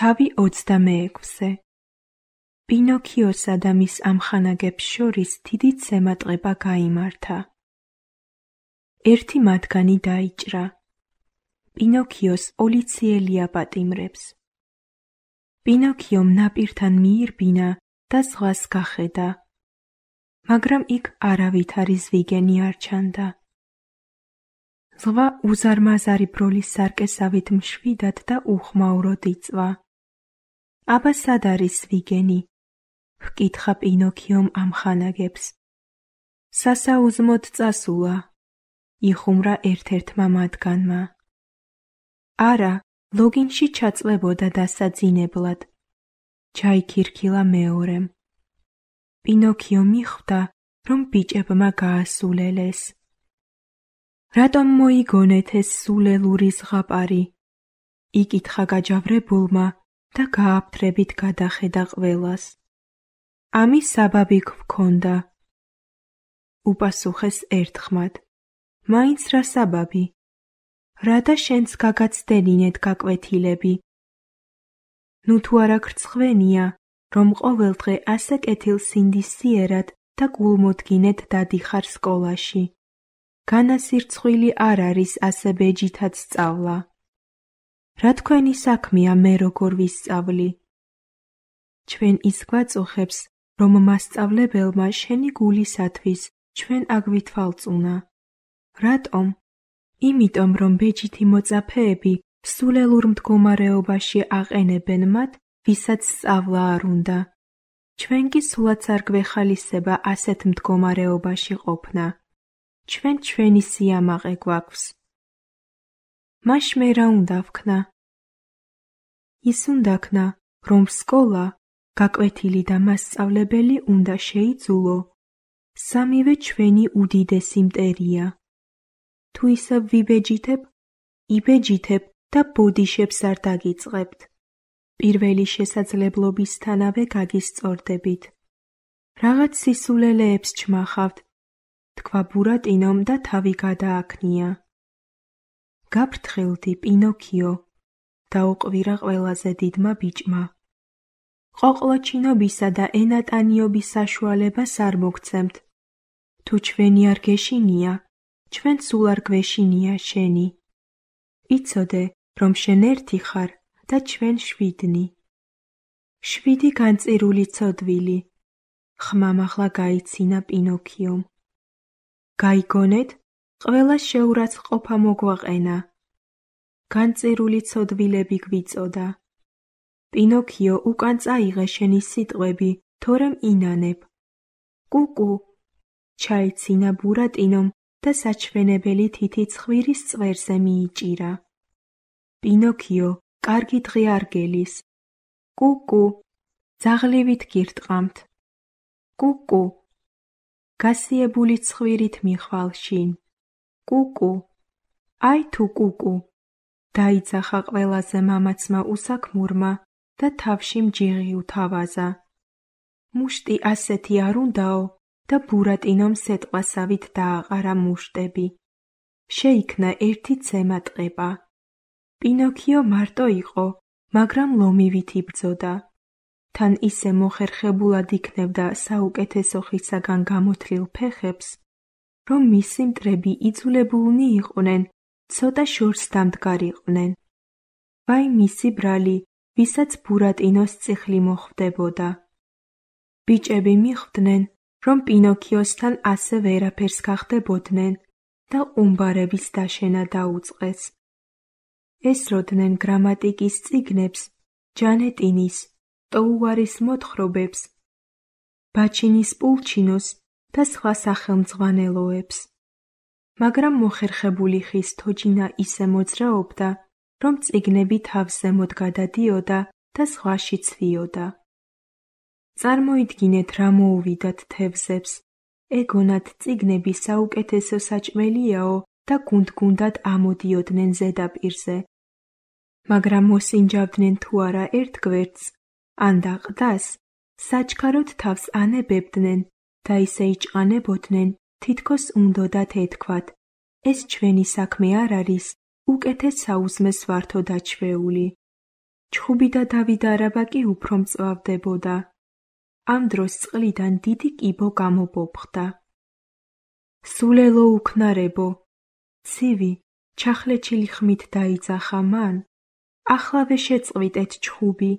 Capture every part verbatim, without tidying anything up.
თავი ოცდამეექვსე. პინოქიოსა და მის ამხანაგებს შორის დიდი ცემატყება გაიმართა. ერთი მათგანი დაიჭრა. პინოქიოს პოლიციელი აპატიმრებს. პინოქიომ ნაპირთან მიირბინა და ზღვას გახედა, მაგრამ იქ არავითარი ზვიგენი არ ჩანდა. ზღვა უზარმაზარი ბროლის სარკესავით მშვიდად და უხმაუროდ იწვა. აბა სად არის ზვიგენი? ჰკითხა პინოქიომ ამხანაგებს. სასაუზმოდ წასულა, იხუმრა ერთ-ერთმა მათგანმა. არა, ლოგინში ჩაწვებოდა დასაძინებლად. ჩაიქირქილა მეორემ. პინოქიო მიხვდა, რომ ბიჭებმა გაასულელეს. რატომ მოიგონეთ ეს სულელური ზღაპარი? იკითხა გაჯავრებულმა და გააფთრებით გადახედა ყველას. ამის საბაბი გვქონდა. უპასუხეს ერთხმად. მაინც რა საბაბი? რადა შენც გაგაცდენინეთ გაკვეთილები? ნუ თუ არა გრცხვენია, რომ ყოველდღე ასე კეთილსინდისიერად და გულმოდგინედ დადიხარ სკოლაში. განასირცხვილი არ არის ასე ბეჯითად სწავლა. რა თქვენი საქმეა მე როგორ ვისწავლი? ჩვენ ის გვაწუხებს, რომ მასწავლებელმა შენი გულისათვის ჩვენ აგვითვალწუნა. რატომ? იმიტომ, რომ ბეჯითი მოწაფეები სულელურ მდგომარეობაში აყენებენ მათ, ვისაც სწავლა არ უნდა. ჩვენ კი სულაც არ გვეხალისება ასეთ მდგომარეობაში ყოფნა. ჩვენ ჩვენი სიამაყე გვაქვს. მაშ მე რა უნდა ვქნა? ის უნდა ქნა, რომ სკოლა, გაკვეთილი და მასწავლებელი უნდა შეიძულო. სამივე ჩვენი უდიდესი მტერია. თუ ისევ ვიბეჯითებ, იბეჯითებ და ბოდიშებს არ დაგიწყებთ. პირველი შესაძლებლობისთანავე გაგისწორდებით. რაღაც სისულელეებს ჩმახავთ, თქვა ბურატინომ და თავი გადააქნია. გაფრთხილდი, პინოქიო, დაუყვირა ყველაზე დიდმა ბიჭმა. ყოყლოჩინობისა და ენატანიობის საშუალებას არ მოგცემთ. თუ ჩვენი არ გეშინია, ჩვენ სულ არ გვეშინია შენი. იცოდე, რომ შენ ერთი ხარ და ჩვენ შვიდნი. შვიდი განწირული ცოდვილი. ხმამ ახლა გაიცინა პინოქიომ. გაიგონეთ, ყველას შეურაცხყოფა მოგვაყენა. განწირული ცოდვილები გვიწოდა. პინოქიო, უკან წაიღე შენი სიტყვები, თორემ ინანებ. კუკუ, ჩაიცინა ბურატინომ და საჩვენებელი თითი ცხვირის წვერზე მიიჭირა. პინოქიო, კარგი დღე არ გელის. კუკუ, ძაღლივით გირტყამთ. კუკუ, გასიებული ცხვირით მიხვალ შინ. კუკუ, აი თუ კუკუ, დაიძახა ყველაზე მამაცმა უსაქმურმა და თავში მჯიღი უთავაზა. მუშტი ასეთი არ უნდაო და ბურატინომ სეტყვასავით დააყარა მუშტები. შეიქმნა ერთი ცემატყება. პინოქიო მარტო იყო, მაგრამ ლომივით იბრძოდა. თან ისე მოხერხებულად იქნებდა საუკეთესო ხისაგან გამოთლილ ფეხებს, რომ მისი მტრები იძულებულნი იყვნენ ცოტა შორს დამდგარიყვნენ. ვაი მისი ბრალი, ვისაც ბურატინოს წიხლი მოხვდებოდა. ბიჭები მიხვდნენ, რომ პინოქიოსთან ასე ვერაფერს გახდებოდნენ და ყუმბარების დაშენა დაუწყეს. ესროდნენ გრამატიკის წიგნებს, ჯანეტინის, ტოუარის მოთხრობებს, ბაჩინის პულჩინოს და სხვა სახელმძღვანელოებს. მაგრამ მოხერხებული ხის თოჯინა ისე მოძრაობდა, რომ წიგნები თავზემოთ გადადიოდა და ზღვაში ცვიოდა. წარმოიდგინეთ, რა მოუვიდათ თევზებს. ეგონათ წიგნები საუკეთესო საჭმელიაო და გუნდ-გუნდად ამოდიოდნენ ზედაპირზე. მაგრამ მოსინჯავდნენ თუ არა ერთ გვერდს, ან და ყდას, საჩქაროდ თავს ანებებდნენ და ისე იჭყანებოდნენ, თითქოს უნდოდათ ეთქვათ, ეს ჩვენი საქმე არ არის, უკეთეს საუზმეს ვართო დაჩვეული. ჩხუბი და დავით არაბა კი უფრო მწვავდებოდა. ამ დროს წყლიდან დიდი კიბო გამობობხდა. სულელო უქნარებო, ცივი, ჩახლეჩილი ხმით დაიძახა მან. ახლავე შეწყვიტეთ ჩხუბი,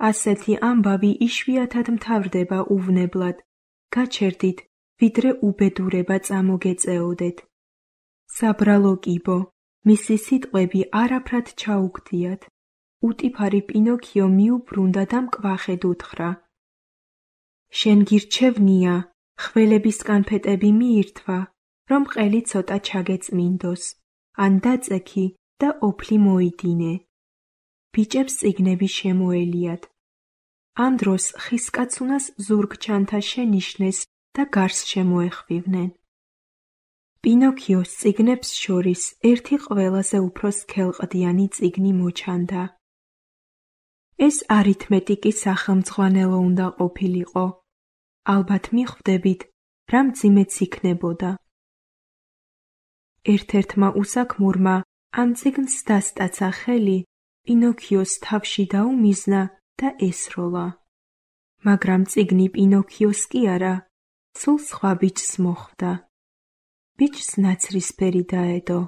ასეთი ამბავი იშვიათად მთავრდება უვნებლად. გაჩერდით, ვიდრე უბედურება წამოგეწეოდეთ. საბრალო კიბო, მისი სიტყვები არაფრად ჩაუგდიათ. უტიფარი პინოქიო მიუბრუნდა და მკვახედ უთხრა. შენ გირჩევნია, ხველების კანფეტები მიირთვა, რომ ყელი ცოტა ჩაგეწმინდოს, ან დაწექი და ოფლი მოიდინე. ბიჭებს წიგნები შემოელიათ. ამ დროს ხისკაცუნას ზურგჩანთა შენიშნეს და გარს შემოეხვივნენ. პინოქიოს წიგნებს შორის ერთი ყველაზე უფრო სქელყდიანი წიგნი მოჩანდა. ეს არითმეტიკის სახელმძღვანელო უნდა ყოფილიყო. ალბათ მიხვდებით, რა მძიმეც იქნებოდა. ერთ-ერთმა უსაქმურმა ამ წიგნს დასტაცა ხელი, პინოქიოს თავში დაუმიზნა და ესროლა. მაგრამ წიგნი პინოქიოს კი არა, სულ სხვა ბიჭს მოხვდა. ბიჭს ნაცრისფერი დაედო.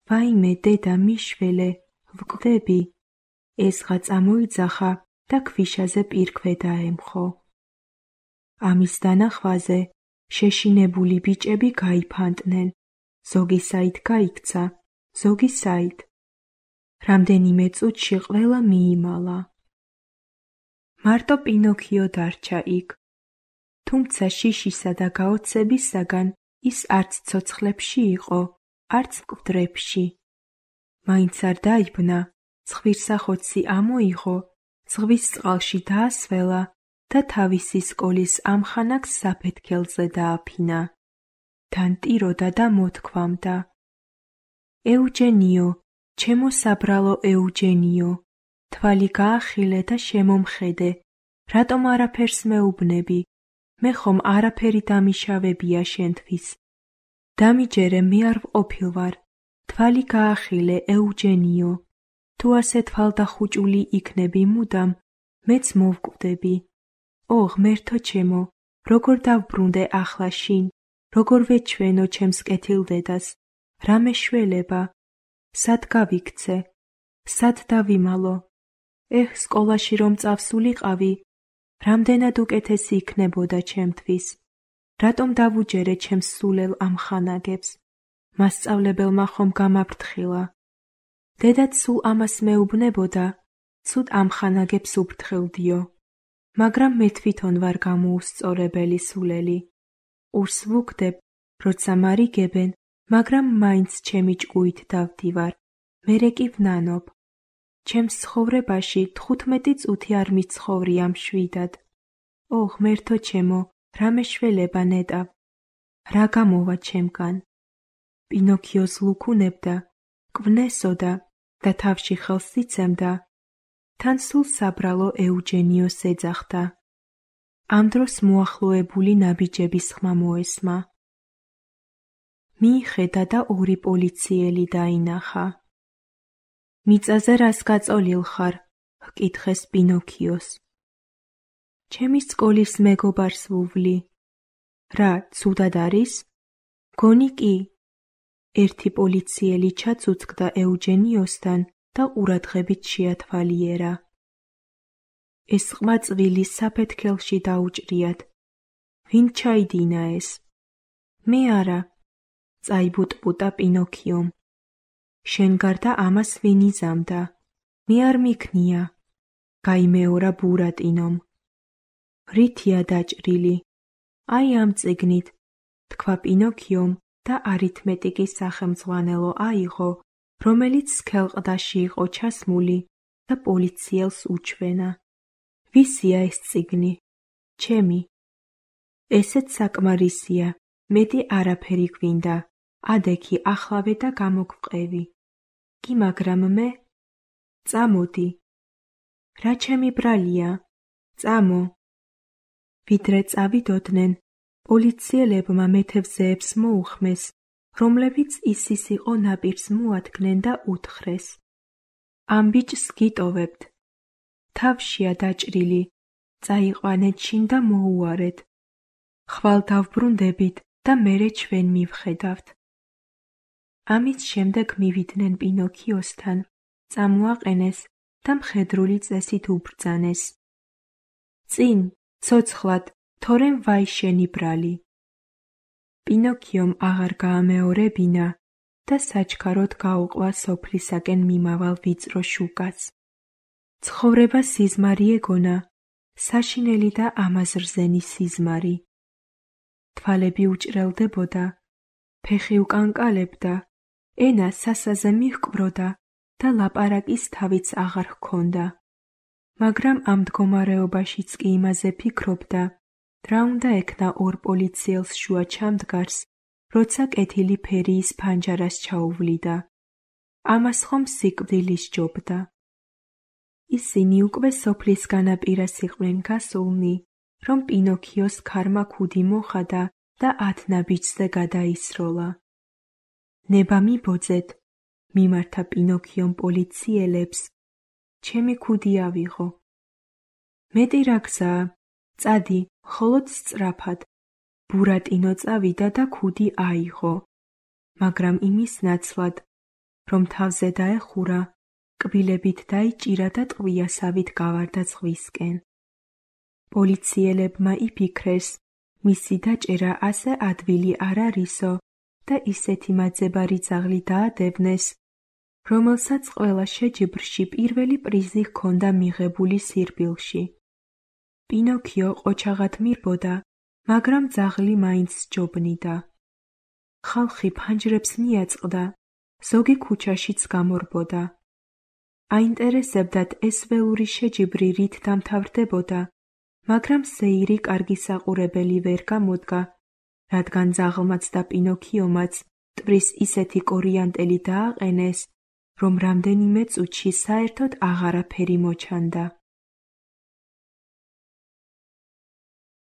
ვაიმე დედა მიშველე, ვკვდები. ესღა წამოიძახა და ქვიშაზე პირქვე დაემხო. ამის დანახვაზე შეშინებული ბიჭები გაიფანტნენ, ზოგი საით გაიქცა, ზოგი საით. რამდენიმე წუთში ყველა მიიმალა. მარტო პინოქიო დარჩა იქ. თუმცა შიშისა და გაოცებისაგან ის არც ცოცხლებში იყო, არც მკვდრებში. მაინც არ დაიბნა, ცხვირსახოცი ამოიღო, ზღვის წყალში დაასველა და თავისი სკოლის ამხანაგს საფეთქელზე დააფინა. თან ტიროდა და მოთქვამდა. ეუჯენიო, ჩემო საბრალო ეუჯენიო, თვალი გაახილე და შემომხედე, რატომ არაფერს მეუბნები, მე ხომ არაფერი დამიშავებია შენთვის. დამიჯერე მე არ ვყოფილვარ, თვალი გაახილე ეუჯენიო, თუ ასე თვალდახუჭული იქნები მუდამ, მეც მოვკვდები. ო ღმერთო ჩემო, როგორ დავბრუნდე ახლა შინ, როგორ ვეჩვენო ჩემს კეთილდედას, რა მეშველება, სად გავიქცე, სად დავიმალო, ეჰ სკოლაში რომ წავსულიყავი, რამდენად უკეთესი იქნებოდა ჩემთვის, რატომ დავუჯერე ჩემს სულელ ამხანაგებს, მასწავლებელმა ხომ გამაფრთხილა. დედაც სულ ამას მეუბნებოდა, ცუდ ამხანაგებს უფრთხილდიო, მაგრამ მე თვითონ ვარ გამოუსწორებელი სულელი. ყურს ვუგდებ, როცა მარიგებენ, მაგრამ მაინც ჩემი ჭკუით დავდივარ, მერე კი ვნანობ. ჩემს ცხოვრებაში თხუთმეტი წუთი არ მიცხოვრია მშვიდად. ო ღმერთო ჩემო, რა მეშველება ნეტავ, რა გამოვა ჩემგან. პინოქიოს ლუქუნებდა, კვნესოდა და თავში ხელს იცემდა, თან სულ საბრალო ეუჯენიოს ეძახდა. ამ დროს მოახლოებული ნაბიჯების ხმა მოესმა. მიიხედა და ორი პოლიციელი დაინახა. მიწაზე რას გაწოლილ ხარ? ჰკითხეს პინოქიოს. ჩემი სკოლის მეგობარს ვუვლი. რა, ცუდად არის? გონი კი. ერთი პოლიციელი ჩაცუცკდა ეუჯენიოსთან და ყურადღებით შეათვალიერა. ეს ყმაწვილი საფეთქელში დაუჭრიათ. ვინ ჩაიდინა ეს? მე არა, წაიბუტბუტა პინოქიომ. შენ გარდა ამას ვინ იზამდა? მე არ მიქნია, გაიმეორა ბურატინომ. რითია დაჭრილი? აი ამ წიგნით, თქვა პინოქიომ და არითმეტიკის სახელმძღვანელო აიღო, რომელიც სქელყდაში იყო ჩასმული და პოლიციელს უჩვენა. ვისია ეს წიგნი? ჩემი. ესეც საკმარისია, მეტი არაფერი გვინდა, ადექი ახლავე და გამოგвყევი. კი მაგრამ მე? წამოდი. რა ჩემი ბრალია? წამო. ვიდრე წავიდოდნენ, პოლიციელებმა მეთევზეებს მოუხმეს, რომლებიც ისის იყო ნაპირს მოადგნენ და უთხრეს. ამ ბიჭს გიტოვებთ. თავშია დაჭრილი, წაიყვანეთ შინ და მოუარეთ. ხვალ დავბრუნდებით და მერე ჩვენ მივხედავთ. ამის შემდეგ მივიდნენ პინოქიოსთან, წამოაყენეს და მხედრული წესით უბრძანეს. წინ, ცოცხლად, თორემ ვაი შენი ბრალი. პინოქიომ აღარ გაამეორებინა და საჩქაროდ გაუყვა სოფლისაკენ მიმავალ ვიწრო შუკას. ცხოვრება სიზმარი ეგონა, საშინელი და ამაზრზენი სიზმარი. თვალები უჭრელდებოდა, ფეხი უკანკალებდა, ენა სასაზე მიჰკვროდა და ლაპარაკის თავიც აღარ ჰქონდა. მაგრამ ამ მდგომარეობაშიც კი იმაზე ფიქრობდა, რა უნდა ექნა ორ პოლიციელს შუა ჩამდგარს, როცა კეთილი ფერიის ფანჯარას ჩაუვლიდა. ამას ხომ სიკვდილი სჯობდა. ისინი უკვე სოფლის განაპირას იყვნენ გასულნი, რომ პინოქიოს ქარმა ქუდი მოხადა და ათ ნაბიჯზე გადაისროლა. ნება მიბოძეთ, მიმართა პინოქიომ პოლიციელებს, ჩემი ქუდი ავიღო. მეტი რა გზაა, წადი, მხოლოდ სწრაფად. ბურატინო წავიდა და ქუდი აიღო, მაგრამ იმის ნაცვლად, რომ თავზე დაეხურა, კბილებით დაიჭირა და ტყვიასავით გავარდა ზღვისკენ. პოლიციელებმა იფიქრეს, მისი დაჭერა ასე ადვილი არ არისო და ისეთი მაძებარი ძაღლი დაადევნეს, რომელსაც ყველა შეჯიბრში პირველი პრიზი ჰქონდა მიღებული სირბილში. პინოქიო ყოჩაღად მირბოდა, მაგრამ ძაღლი მაინც სჯობნიდა. ხალხი ფანჯრებს მიაწყდა, ზოგი ქუჩაშიც გამორბოდა. აინტერესებდათ ეს ველური შეჯიბრი რით დამთავრდებოდა, მაგრამ სეირი კარგი საყურებელი ვერ გამოდგა, რადგან ძაღლმაც და პინოქიომაც ტვრის ისეთი კორიანტელი დააყენეს, რომ რამდენიმე წუთში საერთოდ აღარაფერი მოჩანდა.